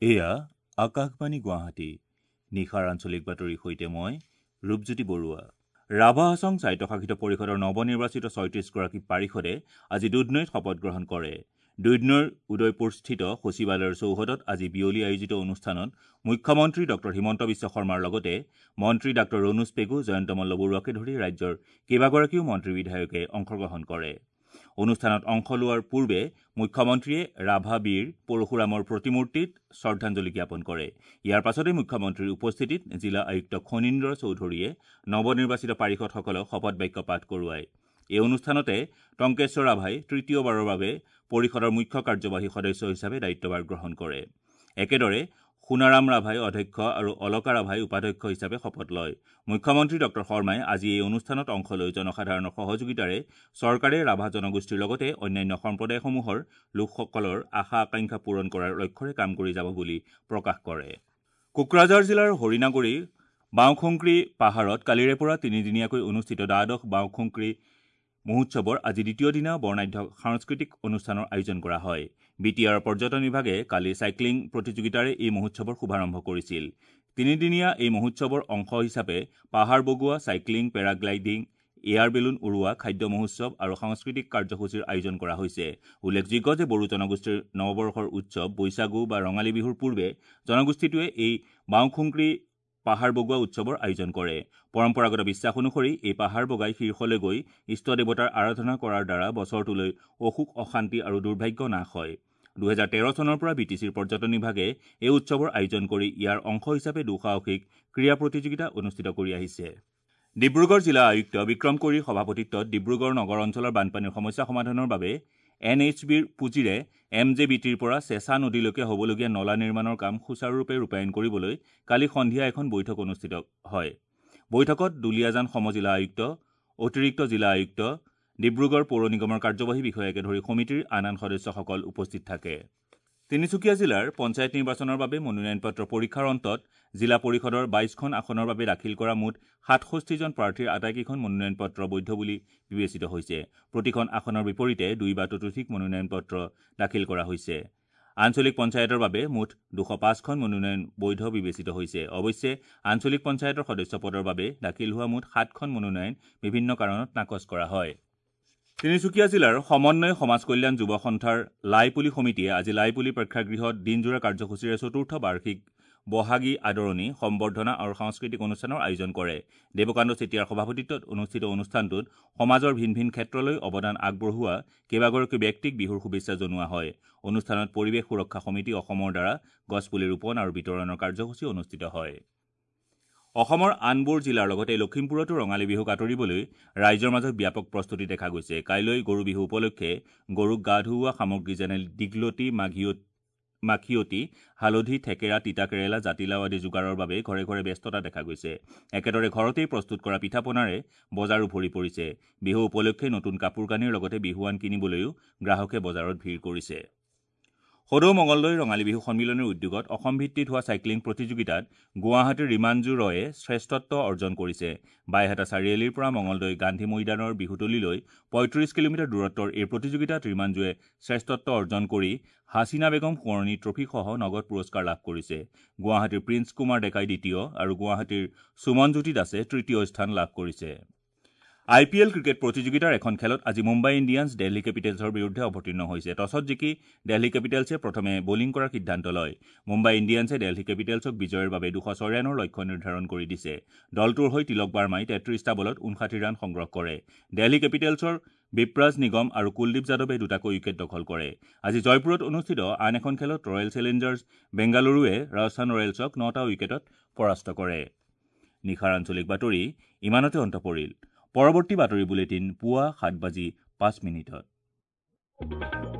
এয়া আকাশবাণী গুৱাহাটী। নিশাৰ আঞ্চলিক বাতৰিৰ সৈতে মই ৰূপজ্যোতি বৰুৱা। ৰাভা হাছং স্বায়ত্তশাসিত পৰিষদৰ নৱনিৰ্বাচিত 36গৰাকী পাৰিষদে আজি দুধনৈত শপত গ্ৰহণ কৰে। দুধনৈৰ উদয়পুৰস্থিত সচিবালয়ৰ চৌহদত আজি বিয়লি আয়োজিত অনুষ্ঠানত মুখ্যমন্ত্ৰী ডঃ হিমন্ত বিশ্ব শৰ্মাৰ লগতে মন্ত্ৰী ডাঃ ৰণোজ পেগু, জয়ন্ত মল্ল বৰুৱাকে ধৰি ৰাজ্যৰ কেইবাগৰাকীও মন্ত্ৰী বিধায়কে অংশগ্ৰহণ কৰে। অনুষ্ঠানত অংশ লোৱাৰ পূৰ্বে মুখ্যমন্ত্ৰীয়ে ৰাভা বীৰ পৰশুৰামৰ প্ৰতিমূৰ্তিত শ্ৰদ্ধাঞ্জলি জ্ঞাপন কৰে। ইয়াৰ পাছতে মুখ্যমন্ত্ৰীৰ উপস্থিতিত জিলা আয়ুক্ত খনীন্দ্ৰ চৌধুৰীয়ে নৱনিৰ্বাচিত পাৰিষদসকলক শপত বাক্য পাঠ কৰোৱায়। এই অনুষ্ঠানতে টংকেশ্বৰ ৰাভাই তৃতীয়বাৰৰ বাবে পৰিষদৰ মুখ্য কাৰ্যবাহী সদস্য হিচাপে দায়িত্বভাৰ গ্ৰহণ কৰে। একেদৰে সোণাৰাম ৰাভাই অধ্যক্ষ আৰু অলকা ৰাভাই উপাধ্যক্ষ হিচাপে শপত লয়। মুখ্যমন্ত্ৰী ডঃ শৰ্মাই আজি এই অনুষ্ঠানত অংশ লৈ জনসাধাৰণৰ সহযোগিতাৰে চৰকাৰে ৰাভা জনগোষ্ঠীৰ লগতে অন্যান্য সম্প্ৰদায়সমূহৰ লোকসকলৰ আশা আকাংক্ষা পূৰণ কৰাৰ লক্ষ্যৰে কাম কৰি যাব বুলি প্ৰকাশ কৰে। কোকৰাঝাৰ জিলাৰ হৰিণাগুৰি বাওঁখুংক্ৰী পাহাৰত কালিৰে পৰা তিনিদিনীয়াকৈ অনুষ্ঠিত দ্বাদশ বাওঁখুংক্ৰী মহোৎসৱৰ আজি দ্বিতীয় দিনা বৰ্ণাঢ্য সাংস্কৃতিক অনুষ্ঠানৰ আয়োজন কৰা হয়। বি টি আৰৰ পৰ্যটন বিভাগে কালি চাইক্লিং প্ৰতিযোগিতাৰে এই মহোৎসৱৰ শুভাৰম্ভ কৰিছিল। তিনিদিনীয়া এই মহোৎসৱৰ অংশ হিচাপে পাহাৰ বগোৱা, চাইক্লিং, পেৰাগ্লাইডিং, এয়াৰ বেলুন উৰুওৱা, খাদ্য মহোৎসৱ আৰু সাংস্কৃতিক কাৰ্যসূচীৰ আয়োজন কৰা হৈছে। উল্লেখযোগ্য যে বড়ো জনগোষ্ঠীৰ নৱবৰ্ষৰ উৎসৱ বৈশাগু বা ৰঙালী বিহুৰ পূৰ্বে জনগোষ্ঠীটোৱে এই বাওঁখুংক্ৰী পাহাৰ বগোৱা উৎসৱৰ আয়োজন কৰে। পৰম্পৰাগত বিশ্বাস অনুসৰি এই পাহাৰ বগাই শীৰ্ষলৈ গৈ ইষ্ট দেৱতাৰ আৰাধনা কৰাৰ দ্বাৰা বছৰটোলৈ অসুখ, অশান্তি আৰু দুৰ্ভাগ্য নাশ হয়। 2013 চনৰ পৰা বি টি চিৰ পৰ্যটন বিভাগে এই উৎসৱৰ আয়োজন কৰি ইয়াৰ অংশ হিচাপে দুঃসাহসিক ক্ৰীড়া প্ৰতিযোগিতা অনুষ্ঠিত কৰি আহিছে। ডিব্ৰুগড় জিলা আয়ুক্ত বিক্ৰম কৈৰীৰ সভাপতিত্বত ডিব্ৰুগড় নগৰ অঞ্চলৰ বানপানীৰ সমস্যা সমাধানৰ বাবে এন এইচ বিৰ পুঁজিৰে এম জে বি টিৰ পৰা চেঁচা নদীলৈকে হ'বলগীয়া নলা নিৰ্মাণৰ কাম সুচাৰুৰূপে ৰূপায়ণ কৰিবলৈ কালি সন্ধিয়া এখন বৈঠক অনুষ্ঠিত হয়। বৈঠকত দুলীয়াজান সমজিলা আয়ুক্ত, অতিৰিক্ত জিলা আয়ুক্ত, ডিব্ৰুগড় পৌৰ নিগমৰ কাৰ্যবাহী বিষয়াকে ধৰি সমিতিৰ আন আন সদস্যসকল উপস্থিত থাকে। তিনিচুকীয়া জিলাৰ পঞ্চায়ত নিৰ্বাচনৰ বাবে মনোনয়ন পত্ৰ পৰীক্ষাৰ অন্তত জিলা পৰিষদৰ 22খন আসনৰ বাবে দাখিল কৰা মুঠ 67জন প্ৰাৰ্থীৰ আটাইকেইখন মনোনয়ন পত্ৰ বৈধ বুলি বিবেচিত হৈছে। প্ৰতিখন আসনৰ বিপৰীতে 2 বা ততোধিক মনোনয়ন পত্ৰ দাখিল কৰা হৈছে। আঞ্চলিক পঞ্চায়তৰ বাবে মুঠ 205খন মনোনয়ন বৈধ বিবেচিত হৈছে। অৱশ্যে আঞ্চলিক পঞ্চায়তৰ সদস্য পদৰ বাবে দাখিল হোৱা মুঠ 7খন মনোনয়ন বিভিন্ন কাৰণত নাকচ কৰা হয়। তিনিচুকীয়া জিলাৰ সমন্বয় সমাজ কল্যাণ যুৱ সন্থাৰ লাইপুলি সমিতিয়ে আজি লাইপুলি প্ৰেক্ষাগৃহত দিনজোৰা কাৰ্যসূচীৰে চতুৰ্থ বাৰ্ষিক বহাগী আদৰণি, সম্বৰ্ধনা আৰু সাংস্কৃতিক অনুষ্ঠানৰ আয়োজন কৰে। দেৱকান্ত চেতিয়াৰ সভাপতিত্বত অনুষ্ঠিত অনুষ্ঠানটোত সমাজৰ ভিন ভিন ক্ষেত্ৰলৈ অৱদান আগবঢ়োৱা কেইবাগৰাকী ব্যক্তিক বিহুৰ শুভেচ্ছা জনোৱা হয়। অনুষ্ঠানত পৰিৱেশ সুৰক্ষা সমিতি অসমৰ দ্বাৰা গছপুলি ৰোপণ আৰু বিতৰণৰ কাৰ্যসূচী অনুষ্ঠিত হয়। অসমৰ আনবোৰ জিলাৰ লগতে লখিমপুৰতো ৰঙালী বিহুক আঁতৰিবলৈ ৰাইজৰ মাজত ব্যাপক প্ৰস্তুতি দেখা গৈছে। কাইলৈ গৰু বিহু উপলক্ষে গৰুক গা ধুওৱা সামগ্ৰী যেনে দীঘলতি, মাখিয়তী, হালধি, থেকেৰা, তিতা কেৰেলা, জাতিলাও আদি যোগাৰৰ বাবে ঘৰে ঘৰে ব্যস্ততা দেখা গৈছে। একেদৰে ঘৰতেই প্ৰস্তুত কৰা পিঠা পনাৰে বজাৰো ভৰি পৰিছে। বিহু উপলক্ষে নতুন কাপোৰ কানিৰ লগতে বিহুৱান কিনিবলৈও গ্ৰাহকে বজাৰত ভিৰ কৰিছে। সদৌ মঙলদৈ ৰঙালী বিহু সন্মিলনৰ উদ্যোগত অসম ভিত্তিত হোৱা চাইক্লিং প্ৰতিযোগিতাত গুৱাহাটীৰ ৰিমাঞ্জু ৰয়ে শ্ৰেষ্ঠত্ব অৰ্জন কৰিছে। বাইহাটা চাৰিআলিৰ পৰা মঙলদৈ গান্ধী মৈদানৰ বিহুতলীলৈ 35 কিলোমিটাৰ দূৰত্বৰ এই প্ৰতিযোগিতাত ৰিমাঞ্জুৱে শ্ৰেষ্ঠত্ব অৰ্জন কৰি হাছিনা বেগম সোঁৱৰণী ট্ৰফীসহ নগদ পুৰস্কাৰ লাভ কৰিছে। গুৱাহাটীৰ প্ৰিন্স কুমাৰ ডেকাই দ্বিতীয় আৰু গুৱাহাটীৰ সুমনজ্যোতি দাসে তৃতীয় স্থান লাভ কৰিছে। আই পি এল ক্ৰিকেট প্ৰতিযোগিতাৰ এখন খেলত আজি মুম্বাই ইণ্ডিয়ানছ দিল্লী কেপিটেলছৰ বিৰুদ্ধে অৱতীৰ্ণ হৈছে। টছত জিকি দিল্লী কেপিটেলছে প্ৰথমে বলিং কৰাৰ সিদ্ধান্ত লয়। মুম্বাই ইণ্ডিয়ানছে দিল্লী কেপিটেলছক বিজয়ৰ বাবে 206 ৰানৰ লক্ষ্য নিৰ্ধাৰণ কৰি দিছে। দলটোৰ হৈ তিলক বাৰ্মাই 33টা বলত 59 ৰান সংগ্ৰহ কৰে। দিল্লী কেপিটেলছৰ বিপ্ৰাজ নিগম আৰু কুলদীপ যাদৱে দুটাকৈ উইকেট দখল কৰে। আজি জয়পুৰত অনুষ্ঠিত আন এখন খেলত ৰয়েল চেলেঞ্জাৰ্ছ বেংগালুৰুৱে ৰাজস্থান ৰয়েলছক 9টা উইকেটত পৰাস্ত কৰে। নিশাৰ আঞ্চলিক বাতৰি ইমানতে অন্ত পৰিল। পৰৱৰ্তী বাতৰি বুলেটিন পুৱা 7:05।